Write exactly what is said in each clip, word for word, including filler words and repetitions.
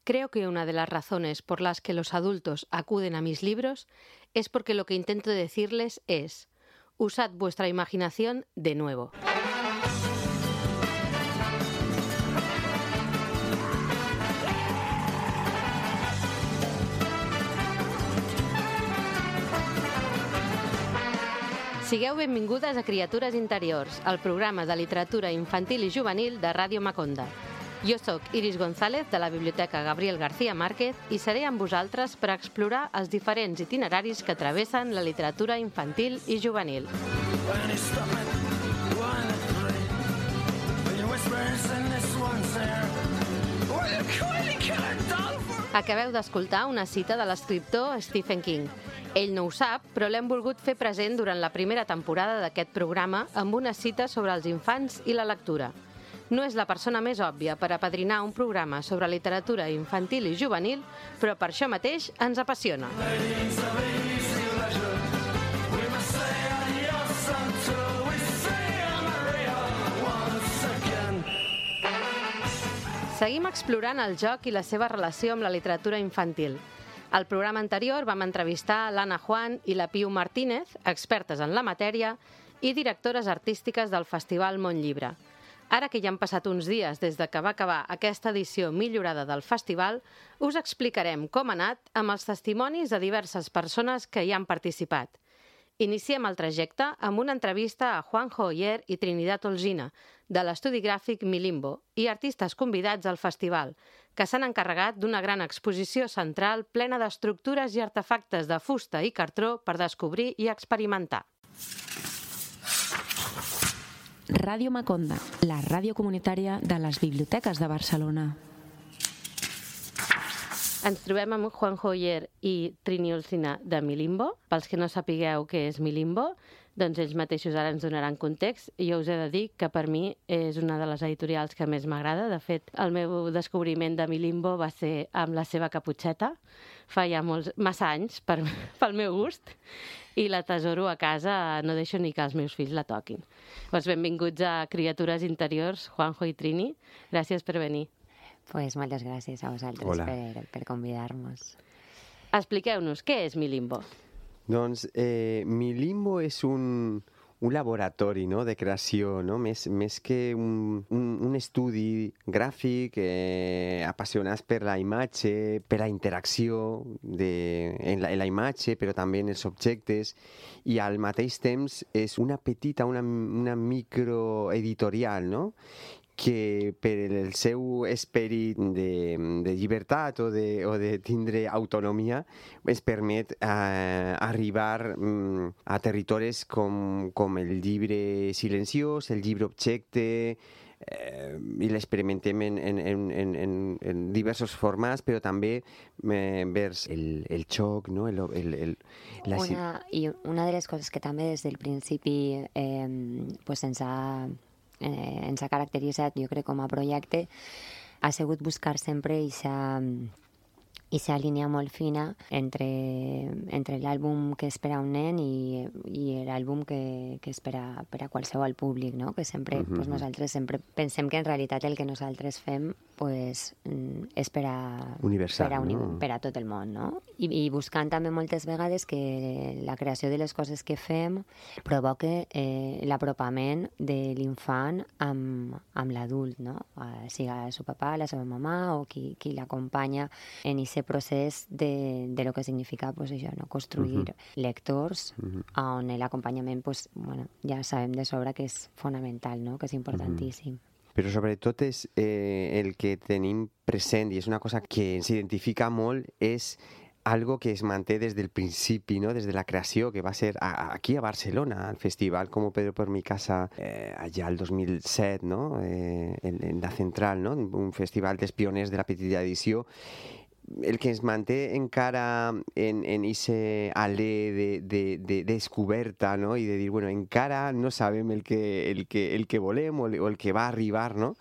Creo que una de las razones por las que los adultos acuden a mis libros es porque lo que intento decirles es: usad vuestra imaginación de nuevo. Sigueu benvingudes a Criatures Interiors, el programa de literatura infantil i juvenil de Ràdio Maconda. Jo sóc Iris González, de la Biblioteca Gabriel García Márquez, i seré amb vosaltres per explorar els diferents itineraris que travessen la literatura infantil i juvenil. Acabeu d'escoltar una cita de l'escriptor Stephen King. Ell no ho sap, però l'hem volgut fer present durant la primera temporada d'aquest programa amb una cita sobre els infants i la lectura. No és la persona més òbvia per apadrinar un programa sobre literatura infantil i juvenil, però per això mateix ens apassiona. Seguim explorant el joc i la seva relació amb la literatura infantil. Al programa anterior vam entrevistar l'Anna Juan i la Piu Martínez, expertes en la matèria i directores artístiques del Festival Món Llibre. Ara que ja han passat uns dies des de que va acabar aquesta edició millorada del festival, us explicarem com ha anat amb els testimonis de diverses persones que hi han participat. Iniciem el trajecte amb una entrevista a Juanjo Oller i Trinidad Olgina, de l'estudi gràfic Milimbo, i artistes convidats al festival, que s'han encarregat d'una gran exposició central plena d'estructures i artefactes de fusta i cartró per descobrir i experimentar. Ràdio Maconda, la ràdio comunitària de les biblioteques de Barcelona. Ens trobem amb Juanjo Oller i Trini Olgina de Milimbo. Pels que no sapigueu què és Milimbo, doncs ells mateixos ara ens donaran context. Jo us he de dir que per mi és una de les editorials que més m'agrada. De fet, el meu descobriment de Milimbo va ser amb la seva caputxeta, fa ja molts, massa anys per, pel meu gust, i l'atesoro a casa, no deixo ni que els meus fills la toquin. Doncs benvinguts a Criatures Interiors, Juanjo i Trini. Gràcies per venir. Pues moltes gràcies a vosaltres per, per convidar-nos. Expliqueu-nos, què és Milimbo? Doncs eh, Milimbo és un, un laboratori, no?, de creació, no? més, més que un, un, un estudi gràfic, eh, apassionats per la imatge, per la interacció de, en, la, en la imatge, però també en els objectes, i al mateix temps és una petita, una, una microeditorial, no?, que per el seu esperit de, de llibertat o de, o de tindre autonomia ens permet eh, arribar mm, a territoris com, com el llibre silenciós, el llibre objecte, eh, i l'experimentem en, en, en, en, en diversos formats, però també eh, vers el, el xoc, no? el, el, el, la... una, I una de les coses que també des del principi eh, pues ens ha Eh, ens ha caracteritzat, jo crec, com a projecte, ha sigut buscar sempre aquesta línia molt fina entre, entre l'àlbum que és per a un nen i, i l'àlbum que, que és per a, per a qualsevol públic, no? Que sempre, uh-huh. pues nosaltres sempre pensem que en realitat el que nosaltres fem pues, és per a, universal, per a, uni, no? per a tot el món, no? I, I buscant també moltes vegades que la creació de les coses que fem provoque eh, l'apropament de l'infant amb, amb l'adult, no? Eh, siga el seu papà, la seva mamà o qui, qui l'acompanya en aquest procés de, de lo que significa pues, això, no? Construir uh-huh. lectors uh-huh. on l'acompanyament pues, bueno, ja sabem de sobre que és fonamental, no? Que és importantíssim. Uh-huh. Però sobretot és eh, el que tenim present, i és una cosa que ens identifica molt, és algo que es manté des del principi, ¿no? Des de la creació, que va ser a, aquí a Barcelona, al festival Como Pedro por mi casa, eh, allà el dos mil set, ¿no? Eh, en, en la Central, ¿no? Un festival dels pioners de la petita edició. El que ens manté encara en, en ese alè de, de, de descoberta, no? I de dir, bueno, encara no sabem el que, el que, el que volem o, o el que va arribar, no?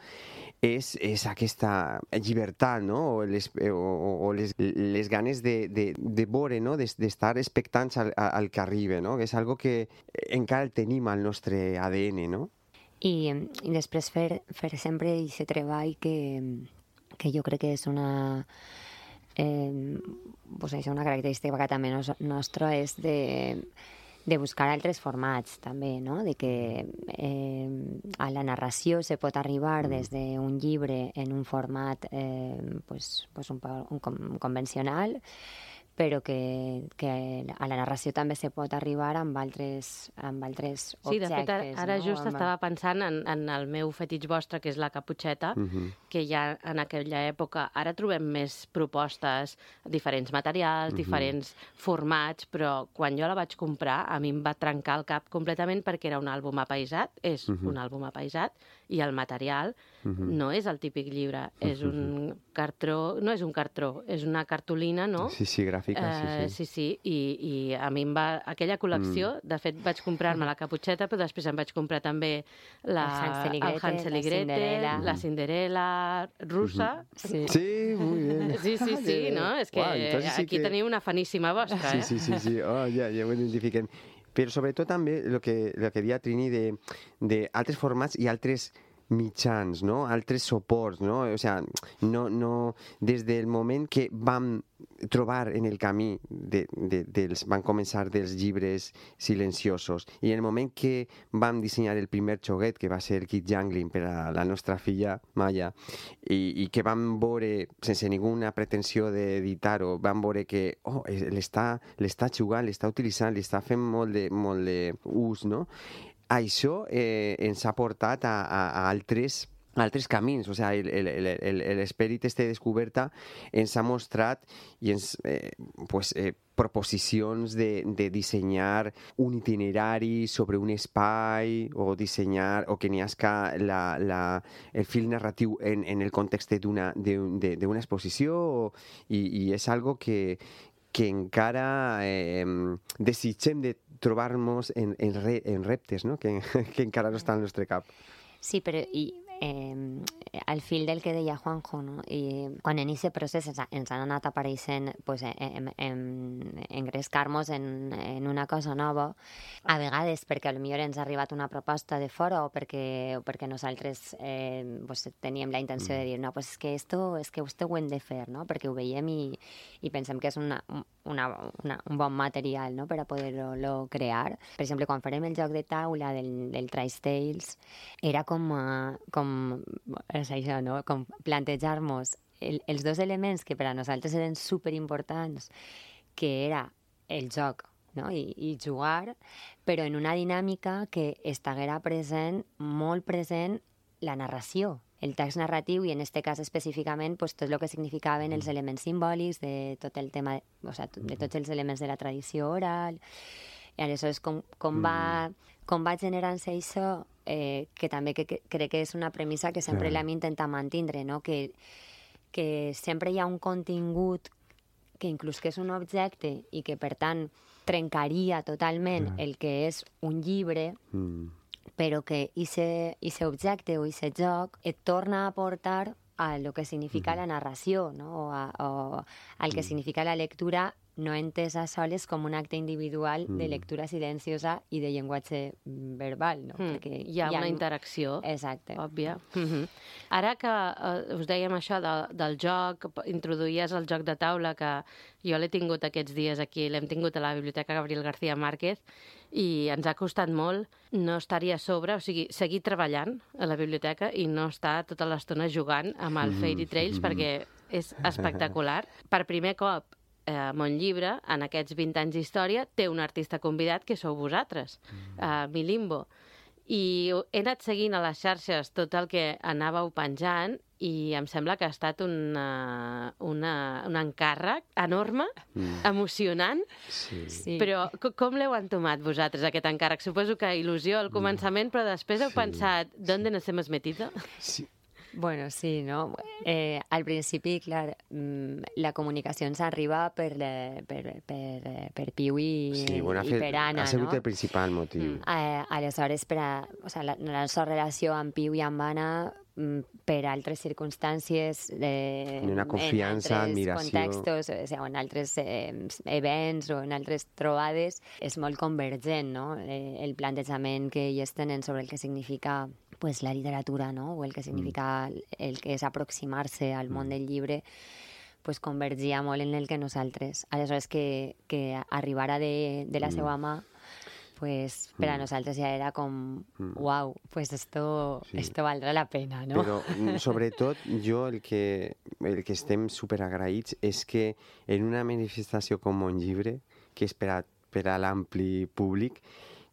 És, és aquesta llibertat, no? O les, o, o les, les ganes de, de, de veure, no? D'estar expectants al, al que arriba, no? Que és algo que encara el tenim al nostre A D N, no? I, i després fer, fer sempre aquest treball que que jo crec que és una... Eh, pues això, una característica que també nos, nostra és de, de buscar altres formats també, no? De que eh, a la narració se pot arribar des d'un llibre en un format eh, pues, pues un, un, un convencional, però que, que a la narració també se pot arribar amb altres, amb altres objectes. Sí, de fet, ara, ara no? just amb... estava pensant en, en el meu fetitx vostre, que és la caputxeta, uh-huh. que ja en aquella època... Ara trobem més propostes, diferents materials, uh-huh. diferents formats, però quan jo la vaig comprar a mi em va trencar el cap completament perquè era un àlbum apaïsat, és uh-huh. un àlbum apaïsat, i el material uh-huh. no és el típic llibre, és un cartró... No és un cartró, és una cartolina, no? Sí, sí, gràfica. Uh, sí, sí, sí, i, i a mi em va... Aquella col·lecció, mm. de fet, vaig comprar-me la caputxeta, però després em vaig comprar també la, el Hansel i Gretel, el Hansel i la Gretel, Cinderella, la Cinderella russa. Mm-hmm. Sí. Sí, muy bien. Sí, sí, sí, no? És que wow, sí aquí que... teniu una faníssima vostra, sí, eh? Sí, sí, sí, oh, ja, ja ho identifiquem. Però sobretot també el que, lo que deia Trini de, de altres formats i altres mitjans, no? Altres suports, no? O sea, no, no, des del moment que vam trobar en el camí de, de, dels, van començar dels llibres silenciosos i en el moment que vam dissenyar el primer xoguet, que va ser el Kid Jangling per a la nostra filla Maya, i, i que vam veure, sense ninguna pretensió d'editar-ho, vam veure que oh, l'està jugant, l'està utilitzant, l'està fent molt de, molt de ús, no? Això eh, ens ha portat a, a, a altres altres camins, o sigui, l'esperit este descoberta ens ha mostrat i ens, eh, pues, eh, proposicions de, de dissenyar un itinerari sobre un espai o dissenyar, o que n'hi hagi la, la, el fil narratiu en, en el context d'una exposició o, i, i és algo que que encara eh, desitgem de trobar-nos en, en, re, en reptes, no? que, que encara no està al nostre cap. Sí, però i, eh, al fil del que deia Juanjo, no? I quan en aquest procés ens, ens han anat apareixent pues, en, en, engrescar-nos en, en una cosa nova, a vegades perquè potser ens ha arribat una proposta de fora o perquè, o perquè nosaltres eh, pues, teníem la intenció de dir no, pues és que esto, és que esto ho hem de fer, no? Perquè ho veiem i, i pensem que és una, una, una, un bon material, no? Per a poder-lo crear. Per exemple, quan farem el joc de taula del, del Trice Tales, era com, uh, com és això, no? Com plantejar-nos el, els dos elements que per a nosaltres eren superimportants, que era el joc, no? I, i jugar, però en una dinàmica que estiguera present, molt present, la narració, el text narratiu i en aquest cas específicament pues, tot el que significaven els elements simbòlics de tot el tema, o sigui, de tots els elements de la tradició oral. I aleshores com, com, va, com va generant-se això, eh, que també que, que, crec que és una premissa que sempre sí. l'hem intentat mantindre, no? que, que sempre hi ha un contingut que inclús que és un objecte i que per tant trencaria totalment sí. el que és un llibre, mm. però que aquest objecte o aquest joc et torna a portar a lo que significa mm. la narració, no? o, a, o al que mm. significa la lectura, no entesa soles com un acte individual mm. de lectura silenciosa i de llenguatge verbal. No? Mm. Perquè hi ha, hi ha una interacció Exacte. òbvia. Mm-hmm. Ara que uh, us dèiem això de, del joc, introduïes el joc de taula, que jo l'he tingut aquests dies aquí, l'hem tingut a la Biblioteca Gabriel García Márquez, i ens ha costat molt no estar-hi a sobre, o sigui, seguir treballant a la biblioteca i no estar tota l'estona jugant amb el Fairy Trails, mm-hmm. perquè és espectacular. Per primer cop, eh, Mon Llibre, en aquests vint anys d'història, té un artista convidat que sou vosaltres, eh, Milimbo. I he anat seguint a les xarxes tot el que anàveu penjant i em sembla que ha estat una, una, un encàrrec enorme, mm. emocionant, sí. Sí. però com l'heu entomat vosaltres, aquest encàrrec? Suposo que il·lusió al començament, però després heu sí. pensat, ¿dónde nos hemos metido? Sí. Bueno, sí, no? Eh, al principi, clar, la comunicació ens arriba per, per, per, per Piu i, sí, bueno, i per Anna, ha sigut no? el principal motiu. Mm. Eh, aleshores, per a, o sea, la, la nostra relació amb Piu i amb Anna, per altres circumstàncies, de, una confiança, en altres admiració. contextos, o sigui, en altres eh, events o en altres trobades, és molt convergent, no? Eh, el plantejament que ells tenen sobre el que significa pues, la literatura, no? O el que significa el, el que és aproximar-se al món del llibre, pues, convergia molt en el que nosaltres. Aleshores, que, que arribara de, de la seva mà, pues per a nosaltres ja era com, uau, pues esto, sí. esto valdrà la pena, no? Però, sobretot, jo el que, el que estem superagraïts és que en una manifestació com un llibre, que és per a, per a l'ampli públic,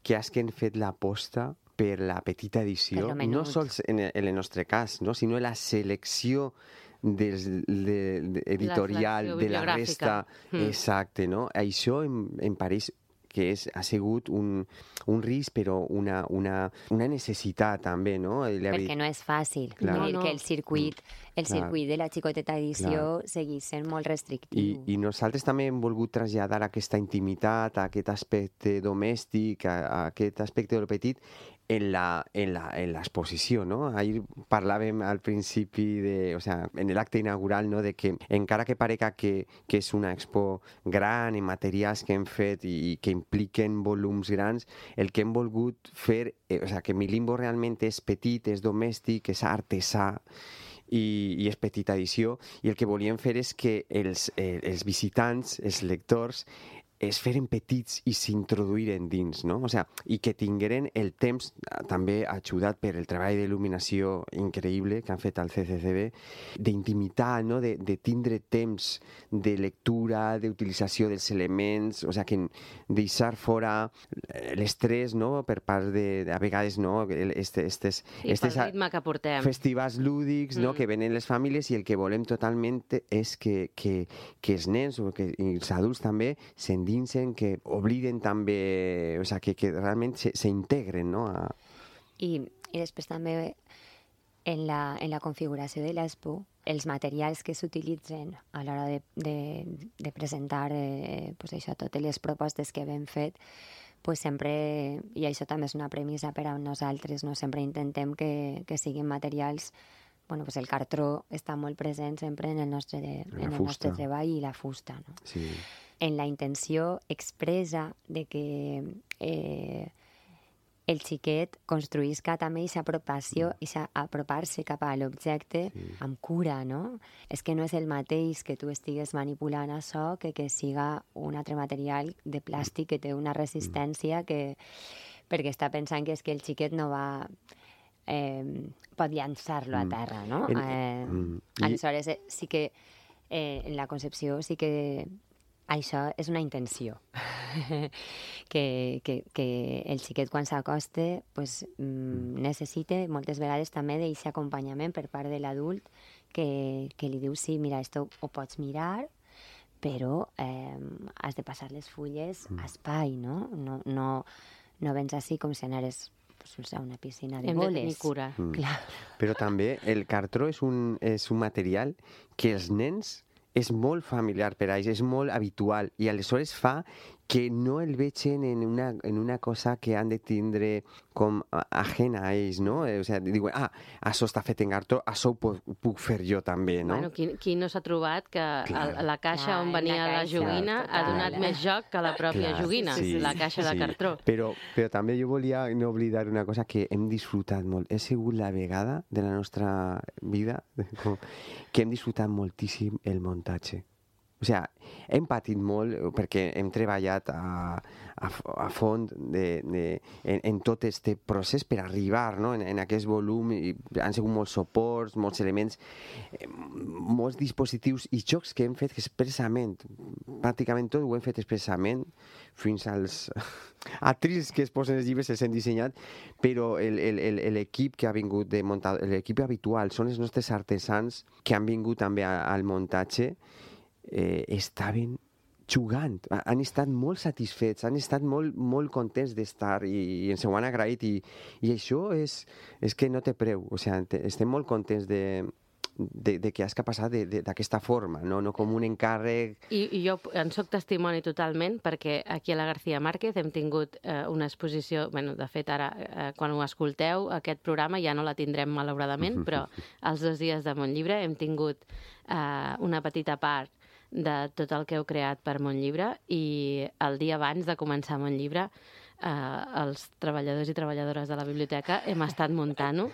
que has que han fet l'aposta per la petita edició, no sols en el, en el nostre cas, no? Sinó la selecció des, de, de, editorial de la resta. Mm. Exacte, no? Això em, em pareix que és, ha sigut un, un risc, però una, una, una necessitat també, no? Perquè no és fàcil. Clar. No, no. Que el circuit, el Clar. circuit de la xicoteta edició Clar. segueix sent molt restrictiu. I, I nosaltres també hem volgut traslladar aquesta intimitat, aquest aspecte domèstic, a, a aquest aspecte del petit, en la, en la, en l'exposició, no? Ahir parlàvem al principi, de, o sea, en l'acte inaugural, no? De que encara que parega que, que és una expo gran en materials que hem fet i, i que impliquen volums grans, el que hem volgut fer, eh, o sea, que mi limbo realment és petit, és domèstic, és artesà, i, i és petita edició, i el que volíem fer és que els, eh, els visitants, els lectors, es feren petits i s'introduïren dins, no? O sea, i que tingueren el temps, també ajudat per el treball d'il·luminació increïble que han fet al C C C B, d'intimitat, no? De, de tindre temps de lectura, d'utilització dels elements, o sea, que deixar fora l'estrès, no? Per part de, a vegades, no? Este, estes, sí, estes pel ritme que portem. Festivals lúdics, mm. no? Que venen les famílies i el que volem totalment és que, que, que els nens o que els adults també s'endinsen, que obliden també, o sea, que, que realment s'integren, no? A... I, I després també en la, en la configuració de l'expo, els materials que s'utilitzen a l'hora de, de, de presentar eh, pues això, totes les propostes que hem fet, pues sempre, i això també és una premissa per a nosaltres, no? Sempre intentem que, que siguin materials. Bueno, pues el cartró està molt present sempre en el nostre, de, en el nostre treball i la fusta, no? Sí. En la intenció expressa de que eh, el xiquet construïsca també aquesta apropació, aquesta apropar-se cap a l'objecte sí. amb cura, no? És que no és el mateix que tu estigues manipulant això que que siga un altre material de plàstic que té una resistència que... perquè està pensant que és que el xiquet no va... Eh, pot llançar-lo a terra, no? Eh, aleshores, eh, sí que eh, en la concepció sí que això és una intenció. que, que, que el xiquet quan s'acosta pues, mm, necessita moltes vegades també d'aquest acompanyament per part de l'adult que, que li diu, sí, mira, esto ho pots mirar, però eh, has de passar les fulles a espai, no? No, no, no vens així com si anares pues, a una piscina de Hem boles. Hem de tenir cura. Mm. Clar. Però també el cartró és un, és un material que els nens és molt familiar per a ells, és molt habitual, i aleshores fa que no el vegin en una, en una cosa que han de tindre com ajena a ells, no? O sigui, diuen, ah, això està fet en cartró, això ho puc, puc fer jo també, no? Bueno, qui, qui no s'ha trobat que el, la caixa Clar, on venia la, la joguina total. Ha donat més joc que la pròpia Clar, joguina, sí, la caixa sí. de cartró. Però, però també jo volia no oblidar una cosa que hem disfrutat molt. Ha sigut la vegada de la nostra vida que hem disfrutat moltíssim el muntatge. O sigui, hem patit molt perquè hem treballat a, a, a fons de, de, en, en tot aquest procés per arribar, no? en, en aquest volum. I han sigut molts suports, molts elements, molts dispositius i jocs que hem fet expressament. Pràcticament tot ho hem fet expressament, fins als atrils que es posen els llibres els hem dissenyat, però l'equip que ha vingut de muntar, l'equip habitual, són els nostres artesans que han vingut també a, al muntatge. Eh, estaven jugant, han estat molt satisfets, han estat molt, molt contents d'estar i, i ens ho han agraït i, i això és, és que no té preu, o sigui, estem molt contents de, de, de que has que passar d'aquesta forma, no, no com un encàrrec. I, i jo en soc testimoni totalment perquè aquí a la García Márquez hem tingut eh, una exposició, bueno, de fet ara eh, quan ho escolteu aquest programa ja no la tindrem malauradament, però els dos dies de Montllibre hem tingut eh, una petita part de tot el que heu creat per Montllibre i el dia abans de començar Montllibre eh, els treballadors i treballadores de la biblioteca hem estat muntant-ho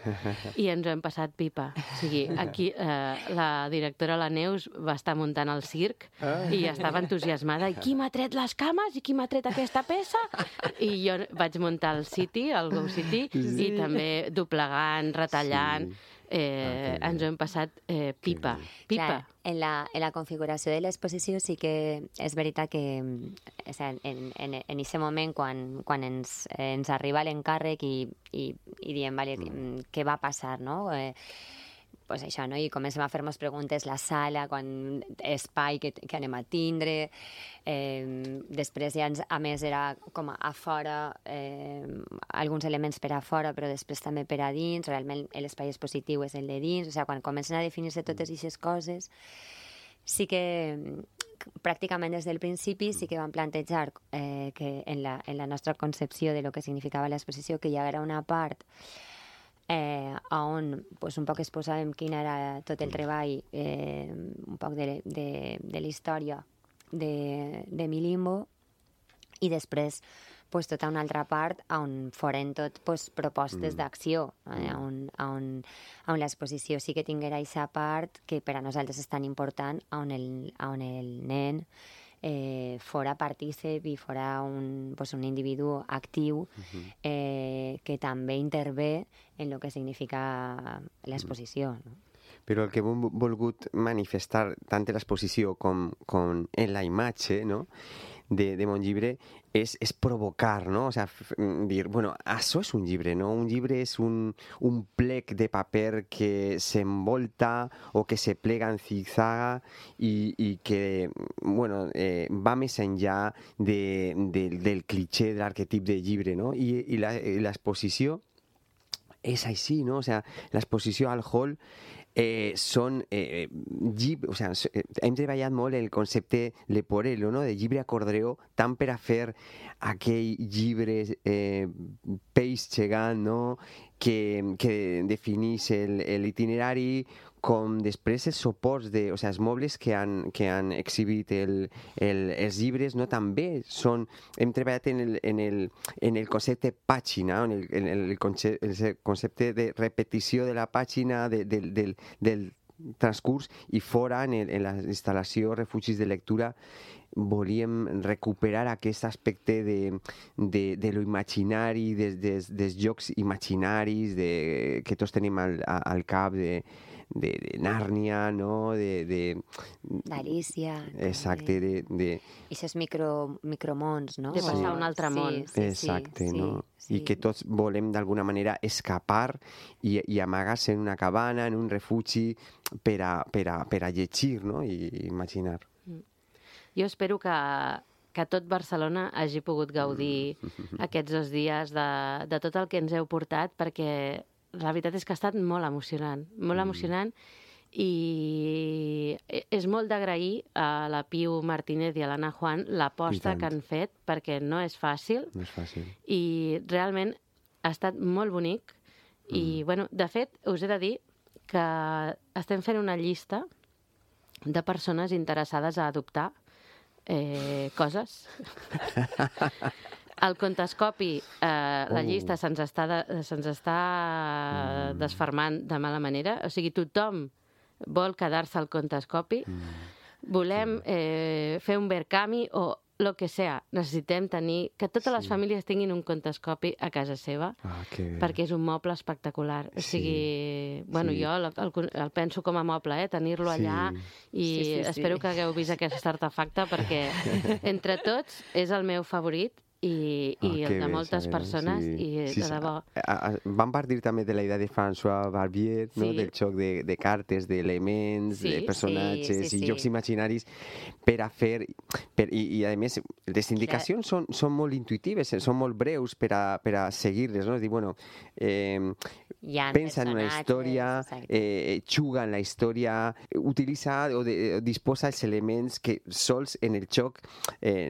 i ens ho hem passat pipa. O sigui, aquí eh, la directora, la Neus, va estar muntant el circ i estava entusiasmada. I qui m'ha tret les cames? I qui m'ha tret aquesta peça? I jo vaig muntar el City, el Go City, sí. i també doblegant, retallant... Sí. Eh, ah, ens ho hem passat eh, pipa. pipa. Clar, en, la, en la configuració de l'exposició sí que és veritat que o sea, en en, en aquest moment quan, quan ens, ens arriba l'encàrrec i, i, i diem vale, mm. què va passar, no? Eh, pues això, no? I comencem a fer-nos preguntes la sala, quan espai que, que anem a tindre, eh, després ja ens, a més era com a fora, eh, alguns elements per a fora, però després també per a dins, realment l'espai expositiu és el de dins, o sigui, quan comencen a definir-se totes aquestes coses, sí que pràcticament des del principi sí que vam plantejar eh, que en la, en la nostra concepció de lo que significava l'exposició, que hi haguera una part Eh, on pues, un poc exposàvem quin era tot el treball, eh, un poc de, de, de la història de, de Milimbo, i després pues, tota una altra part on foren tot pues, propostes mm. d'acció, eh, on, on, on l'exposició sí que tinguera aquesta part que per a nosaltres és tan important, on el, on el nen Eh, fora partícip i fora un, pues, un individu actiu eh, que també intervé en el que significa l'exposició. No? Però el que hem volgut manifestar tant en l'exposició com, com en la imatge, no?, de, de mon llibre és, és provocar, no? O sea, dir, bueno, això és un llibre, no? Un llibre és un, un plec de paper que s'envolta o que se plega en zigzag i, i que, bueno, eh, va més enllà de, de, del cliché de l'arquetip de llibre, no? I, i l'exposició és així, no? O sea, l'exposició al hall Eh, són eh, llibres, o sea, hem treballat molt el concepte leporello, no?, de llibre acordeó, tant per a fer aquell llibre eh, peix gegant, no?, que, que definís l'itinerari, com després els suports, de, o sea, els mobles que han, que han exhibit el, el, els llibres, no, també són, hem treballat en el, en el, en el concepte pàgina, en el, en el, concepte, el concepte de repetició de la pàgina, de, de, del, del transcurs, i fora, en, el, en la instal·lació Refugis de Lectura, volíem recuperar aquest aspecte de, de, de lo imaginari, des, des, des jocs imaginaris de, que tots tenim al, al cap, de de, de Nàrnia, no? De, de... D'Alícia. Exacte, de... de... I aquests micro, micromons, no? De passar a un altre món. Sí, sí, Exacte, sí, no? Sí. I que tots volem d'alguna manera escapar i, i amagar-se en una cabana, en un refugi, per a, per a, per a llegir, no? I imaginar. Jo espero que, que tot Barcelona hagi pogut gaudir aquests dos dies de, de tot el que ens heu portat, perquè la veritat és que ha estat molt emocionant, molt emocionant, i és molt d'agrair a la Piu Martínez i a l'Anna Juan l'aposta que han fet, perquè no és fàcil. No és fàcil. I realment ha estat molt bonic. I, mm. bueno, de fet, us he de dir que estem fent una llista de persones interessades a adoptar eh, coses. El contescopi, eh, la llista oh. se'ns està, de, se'ns està mm. desfermant de mala manera. O sigui, tothom vol quedar-se al contescopi. Mm. Volem eh, fer un Verkami o el que sea. Necessitem tenir... Que totes sí. les famílies tinguin un contescopi a casa seva, ah, perquè és un moble espectacular. O sigui, sí. bueno, sí. jo el, el, el penso com a moble, eh, tenir-lo sí. allà, i sí, sí, sí. espero que hagueu vist aquest artefacte, perquè entre tots és el meu favorit, i, i oh, el de moltes bé, persones, sí. i sí, de debò. Vam partir també de la idea de François Barbier, no? Sí. Del joc de, de cartes, d'elements, sí, de personatges sí, sí, sí. i jocs imaginaris per a fer... Per, i, I, a més, les indicacions són, són molt intuitives, són molt breus per a, per a seguir-les, no? És dir, bueno... Eh, pensa en una història, eh, juga en la història, utilitza o, de, o disposa els elements que sols en el joc, eh,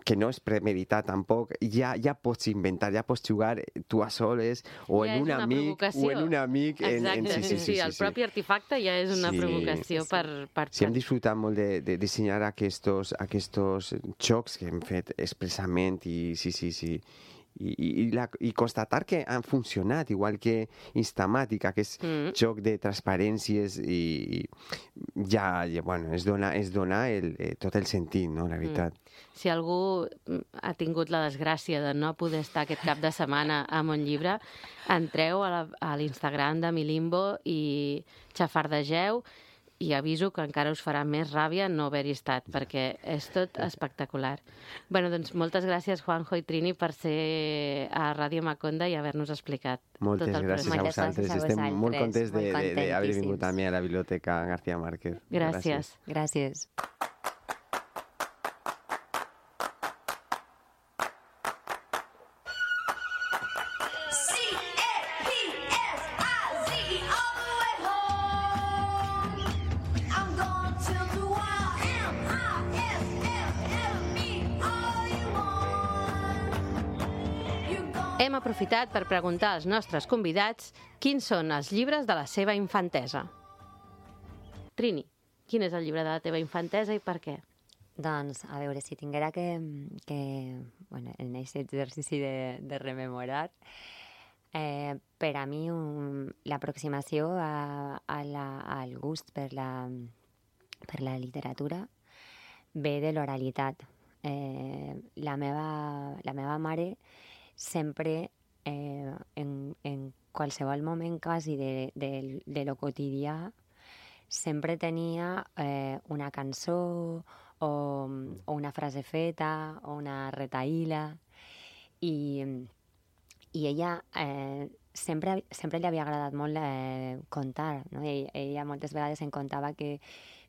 que no és premeditat tampoc, ja, ja pots inventar, ja pots jugar tu a soles o ja en un amic o en un amic. En, en, sí, sí, sí, sí, el propi artefacte ja és una sí, provocació sí. per, per... Sí, hem disfrutat molt de, de dissenyar aquests, aquests jocs que hem fet expressament i sí, sí, sí. I, i, la, i constatar que han funcionat, igual que Instamàtica, que és mm. joc de transparències i, i ja, ja bueno, es dona, es dona el, eh, tot el sentit, no?, la veritat. Mm. Si algú ha tingut la desgràcia de no poder estar aquest cap de setmana a Montllibre, entreu a l'Instagram de Milimbo i xafardegeu, i aviso que encara us farà més ràbia no haver-hi estat, perquè és tot espectacular. Bé, doncs moltes gràcies, Juanjo i Trini, per ser a Ràdio Maconda i haver-nos explicat moltes tot el gràcies procés. a vosaltres. Estem molt contents d'haver vingut també a la Biblioteca García Márquez. Gràcies. Gràcies. Hem aprofitat per preguntar als nostres convidats quins són els llibres de la seva infantesa. Trini, quin és el llibre de la teva infantesa i per què? Doncs, a veure, si tinguera que... que bueno, en aquest exercici de, de rememorar, eh, per a mi un, l'aproximació a, a la, al gust per la, per la literatura ve de l'oralitat. Eh, la, meva, la meva mare sempre, eh, en, en qualsevol moment quasi de, de, de lo quotidià, sempre tenia eh, una cançó o, o una frase feta o una retaïla i, i ella eh, sempre, sempre li havia agradat molt eh, contar, no? Ella, ella moltes vegades em contava que,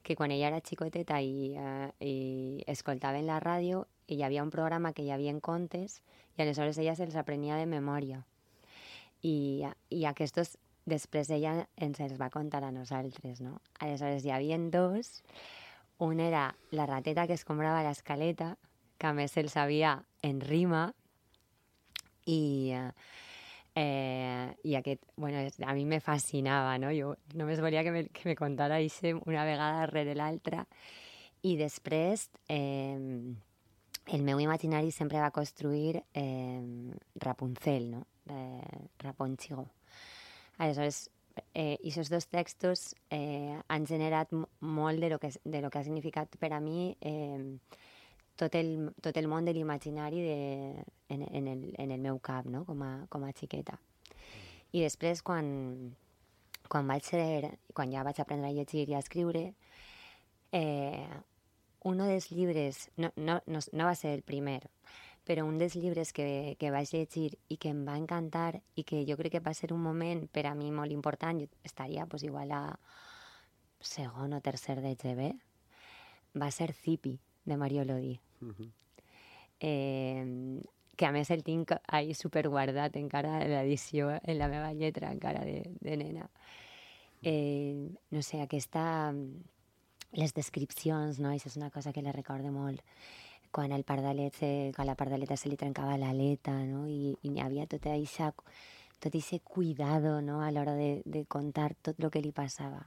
que quan ella era xicoteta i, eh, i escoltava en la ràdio hi havia un programa que hi havia contes i aleshores ella se'ls aprenia de memòria. I, i aquests després ella ens els va contar a nosaltres, no? Aleshores hi havia dos. Un era la rateta que escombrava l'escaleta, que a més se'l sabia en rima, i, eh, i aquest, bueno, a mi me fascinava, no? Jo només volia que me, que me contara això una vegada darrere l'altra. I després... Eh, el meu imaginari sempre va construir eh, Rapunzel, no? Eh, Rapunzel. Aleshores, eh, aquests dos textos eh, han generat molt de lo, que, de lo que ha significat per a mi eh, tot, el, tot el món de l'imaginari de, en, en, el, en el meu cap, no? com, a, com a xiqueta. I després, quan, quan, vaig ser, quan ja vaig aprendre a llegir i a escriure, eh, un dels llibres, no, no, no, no va ser el primer, però un dels llibres que, que vaig llegir i que em va encantar i que jo crec que va ser un moment per a mi molt important, jo estaria pues, igual a segon o tercer de G B, va ser Zipi, de Mario Lodi. Uh-huh. eh, que a més el tinc ahí superguardat encara en l'edició, en la meva lletra encara de, de nena. Eh, no sé, aquesta... Les descripcions, no? Això és una cosa que la recordo molt. Quan, el pardalet se, quan la pardaleta se li trencava l'aleta, no? I, i hi havia tot això, tot aquest cuidado, no? A l'hora de, de contar tot el que li passava.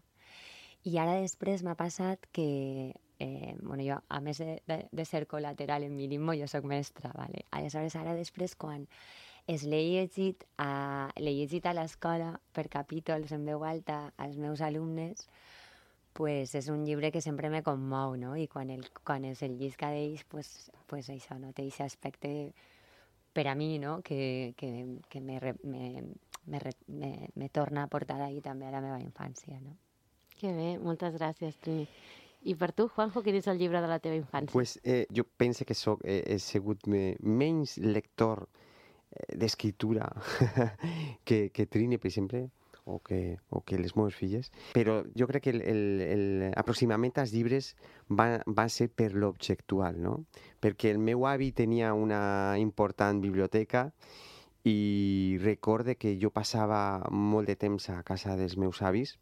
I ara després m'ha passat que, eh, bueno, jo, a més de, de, de ser col·lateral en Milimbo, jo soc mestra, ¿vale? Aleshores, ara després, quan es l'he llegit a, l'he llegit a l'escola per capítols en veu alta als meus alumnes, pues és un llibre que sempre me commou, no? I quan, el, quan es el llisca d'ells, pues, pues això, no? Té aquest aspecte per a mi, no? Que, que, que me, me, me, me, me torna a portar ahí també a la meva infància, no? Que bé, moltes gràcies, Trini. I per tu, Juanjo, quin és el llibre de la teva infància? Pues, eh, jo penso que soc, eh, he sigut me, menys lector eh, d'escriptura que, que Trini, per exemple, o que, o que les meves filles, però jo crec que l'aproximament als llibres va, va ser per l'objectual, no? Perquè el meu avi tenia una important biblioteca i recorde que jo passava molt de temps a casa dels meus avis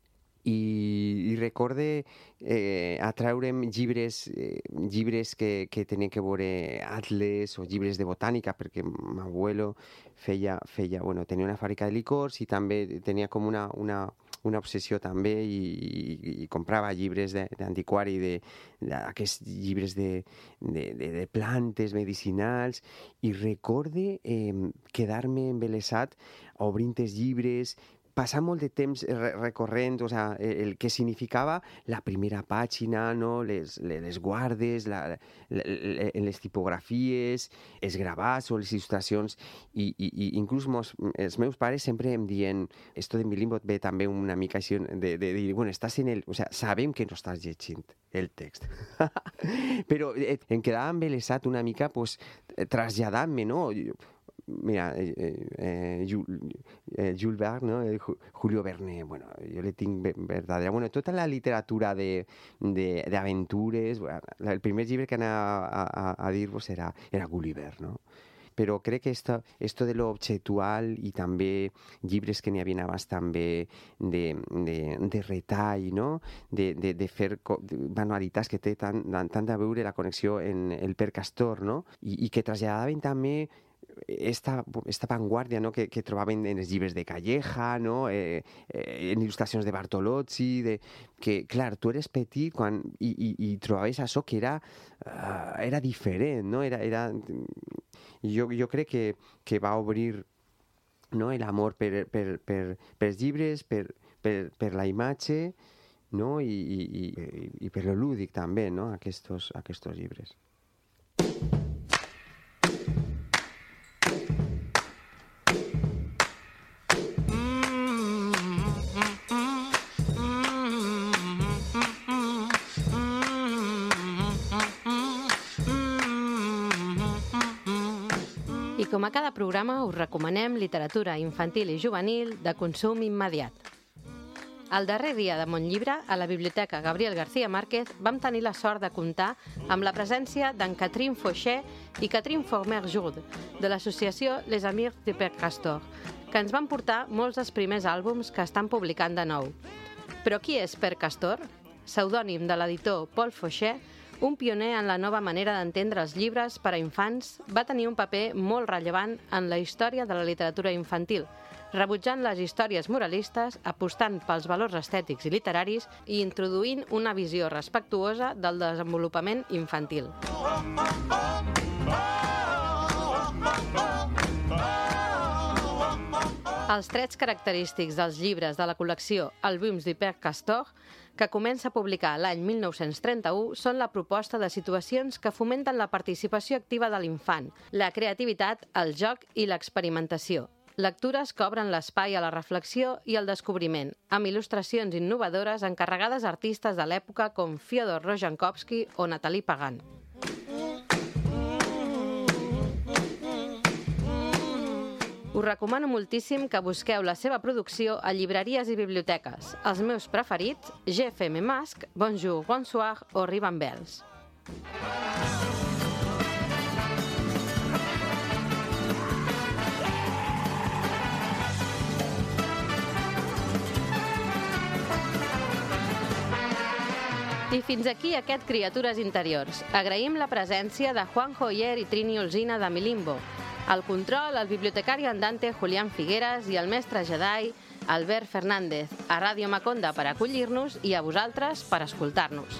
i, i recorde eh, atraure'm llibres, eh, llibres que, que tenien que veure atles o llibres de botànica, perquè m'abuelo feia, feia, bueno, tenia una fàbrica de licors i també tenia com una, una, una obsessió també i, i, i comprava llibres d'antiquari, d'aquests llibres de, de, de, de plantes medicinals, i recorde eh, quedar-me embelesat obrint els llibres, passar molt de temps recorrent, o sea, el que significava la primera pàgina, no? les, les guardes, la, la, les tipografies, els gravats o les il·lustracions, i, i, i inclús mos, els meus pares sempre em diuen, esto de mi limbo ve també una mica així de, de dir, bueno, estàs en el, o sea, sabem que no estàs llegint el text, però eh, em quedava embelesat una mica, pues, traslladant-me, no? Mira, eh, eh, Jules Verne, ¿no? Julio Verne, bueno, yo le tinc verdadera... Bueno, tota la literatura de, de, de aventures, bueno, el primer llibre que anava a, a, a dir-vos era, era Gulliver, no? Però crec que esto, esto de lo objetual i també llibres que n'hi havia abans també de, de, de retall, no? De, de, de fer manualitats que té tant, tant a veure la connexió en el Per Castor, no? I, i que traslladaven també esta, esta vanguardia, no? que, que trobaven en els llibres de Calleja, no? eh, eh, en il·lustracions de Bartolozzi, de, que, clar, tu eres petit quan, i, i, i trobaves això que era, uh, era diferent, no? Era, era, jo, jo crec que, que va obrir, no? l'amor per, per, per, per els llibres, per, per, per la imatge, no? I, i, i, i per lo lúdic també, no? Aquestos, aquestos llibres. I com a cada programa us recomanem literatura infantil i juvenil de consum immediat. El darrer dia de Montllibre, a la Biblioteca Gabriel García Márquez, vam tenir la sort de comptar amb la presència d'en Catherine Fauchet i Catherine Former-Jourde, de l'associació Les Amis de Per Castor, que ens van portar molts dels primers àlbums que estan publicant de nou. Però qui és Per Castor? Pseudònim de l'editor Paul Fauchet, un pioner en la nova manera d'entendre els llibres per a infants, va tenir un paper molt rellevant en la història de la literatura infantil, rebutjant les històries moralistes, apostant pels valors estètics i literaris i introduint una visió respectuosa del desenvolupament infantil. Els trets característics dels llibres de la col·lecció Albums de Per Castor, que comença a publicar l'any mil nou-cents trenta-u, són la proposta de situacions que fomenten la participació activa de l'infant, la creativitat, el joc i l'experimentació. Lectures que obren l'espai a la reflexió i al descobriment, amb il·lustracions innovadores encarregades a artistes de l'època com Fyodor Rozhkovsky o Nathalie Pagan. Us recomano moltíssim que busqueu la seva producció a llibreries i biblioteques. Els meus preferits, G F M Masque, Bonjour, Bonsoir o Ribambels. I fins aquí aquest Criatures Interiors. Agraïm la presència de Juan Joyer i Trini Olzina de Milimbo. Al control, el bibliotecari andante Julián Figueras i el mestre Jedi Albert Fernández, a Ràdio Maconda per acollir-nos i a vosaltres per escoltar-nos.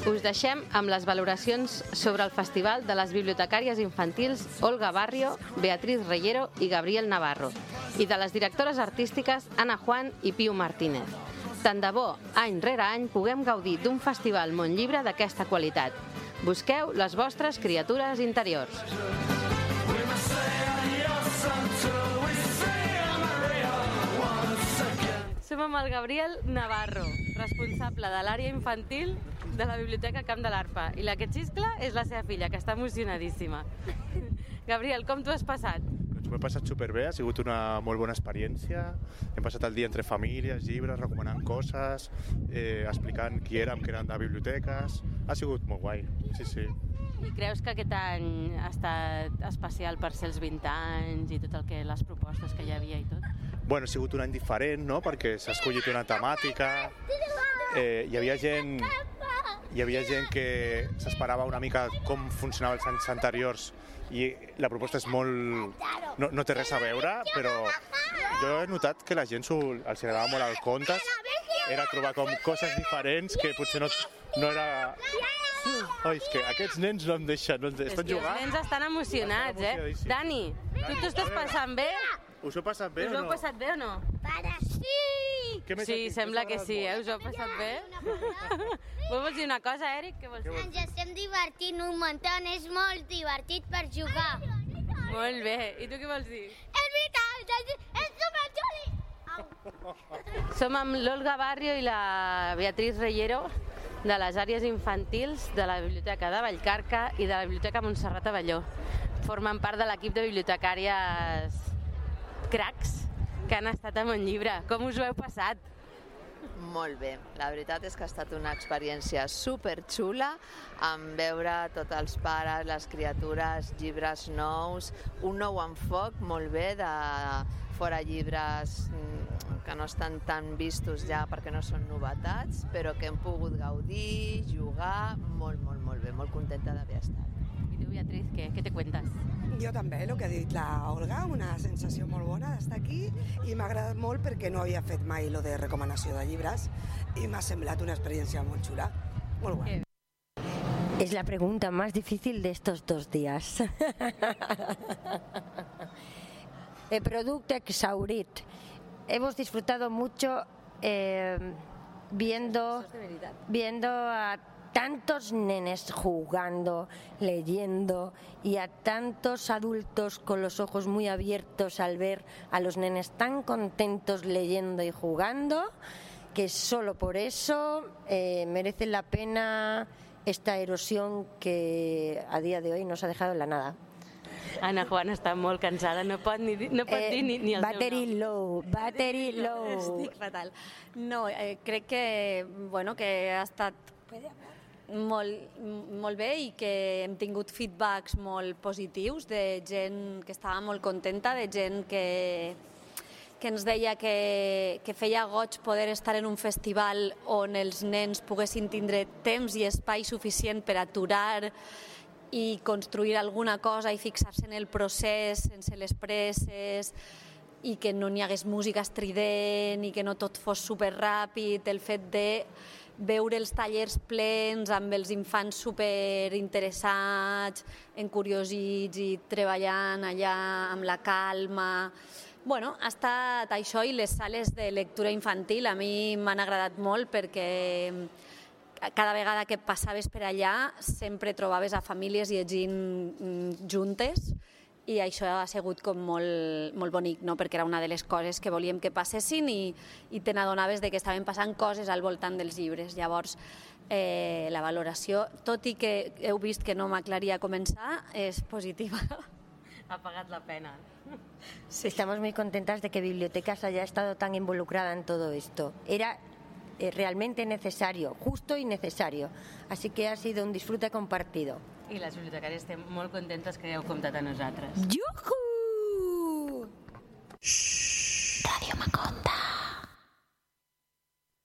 Us deixem amb les valoracions sobre el Festival de les Bibliotecàries Infantils Olga Barrio, Beatriz Reyero i Gabriel Navarro, i de les directores artístiques Ana Juan i Piu Martínez. Tant de bo, any rere any, puguem gaudir d'un festival Montllibre d'aquesta qualitat. Busqueu les vostres criatures interiors. Som amb el Gabriel Navarro, responsable de l'àrea infantil de la Biblioteca Camp de l'Arpa. I la que xiscla és la seva filla, que està emocionadíssima. Gabriel, com t'ho has passat? Doncs m'ho he passat superbé, ha sigut una molt bona experiència. Hem passat el dia entre famílies, llibres, recomanant coses, eh, explicant qui érem, que eren de biblioteques. Ha sigut molt guai, sí, sí. I creus que aquest any ha estat especial per ser els vint anys i tot el que les propostes que hi havia i tot? Bueno, ha sigut un any diferent, no?, perquè s'ha escollit una temàtica. Eh, hi havia gent, hi havia gent que s'esperava una mica com funcionava els anys anteriors i la proposta és molt... No, no té res a veure, però jo he notat que la gent s'ho, els agradava molt el contes, era trobar com coses diferents que potser no, no era... Ai, és que aquests nens no em deixen, no em deixen. Estan jugant? Els nens estan emocionats, eh? Dani, tu t'ho estàs passant bé? Us ho heu passat bé o no? Us ho heu passat bé o no? Para sí! Sí, sembla que sí, eh? Us ho heu passat bé? Vols dir una cosa, Eric? Què vols dir? Ens estem divertint un muntó, és molt divertit per jugar. Molt bé, i tu què vols dir? És veritat, és superxuli! Som amb l'Olga Barrio i la Beatriz Reyero de les àrees infantils de la Biblioteca de Vallcarca i de la Biblioteca Montserrat Avelló. Formen part de l'equip de bibliotecàries cracs que han estat amb un llibre. Com us ho heu passat? Molt bé. La veritat és que ha estat una experiència superxula en veure tots els pares, les criatures, llibres nous, un nou enfoc molt bé de fora llibres que no estan tan vistos ja perquè no són novetats, però que hem pogut gaudir, jugar, molt, molt, molt bé, molt contenta d'haver estat. I tu, Beatriz, què, què te cuentes? Jo també, el que ha dit la Olga, una sensació molt bona d'estar aquí i m'ha agradat molt perquè no havia fet mai lo de recomanació de llibres i m'ha semblat una experiència molt xula, molt guai. Es la pregunta más difícil de estos dos días. El producto exhaurit. Hemos disfrutado mucho eh, viendo, viendo a tantos nenes jugando, leyendo y a tantos adultos con los ojos muy abiertos al ver a los nenes tan contentos leyendo y jugando, que solo por eso eh, merece la pena esta erosión que a día de hoy nos ha dejado en la nada. Ana Juan està molt cansada, no pot, ni, no pot eh, dir ni, ni el battery seu nom. Low, battery low. Estic fatal. No, eh, crec que, bueno, que ha estat molt, molt bé i que hem tingut feedbacks molt positius de gent que estava molt contenta, de gent que, que ens deia que, que feia goig poder estar en un festival on els nens poguessin tindre temps i espai suficient per aturar i construir alguna cosa i fixar-se en el procés sense les presses i que no n'hi hagués música estrident i que no tot fos superràpid, el fet de veure els tallers plens amb els infants superinteressats, encuriosits i treballant allà amb la calma. Bueno, ha estat això i les sales de lectura infantil a mi m'han agradat molt perquè cada vegada que passaves per allà sempre trobaves a famílies llegint juntes i això ha sigut com molt, molt bonic, no? Perquè era una de les coses que volíem que passessin i, i te n'adonaves de que estaven passant coses al voltant dels llibres. Llavors, eh, la valoració, tot i que heu vist que no m'aclaria a començar, és positiva. Ha pagat la pena. Sí. Estamos muy contentas de que Bibliotecas haya estado tan involucrada en todo esto. Era realmente necesario, justo y necesario. Así que ha sido un disfrute compartido. I les bibliotecàries estem molt contentes que heu comptat a nosaltres. Juhu!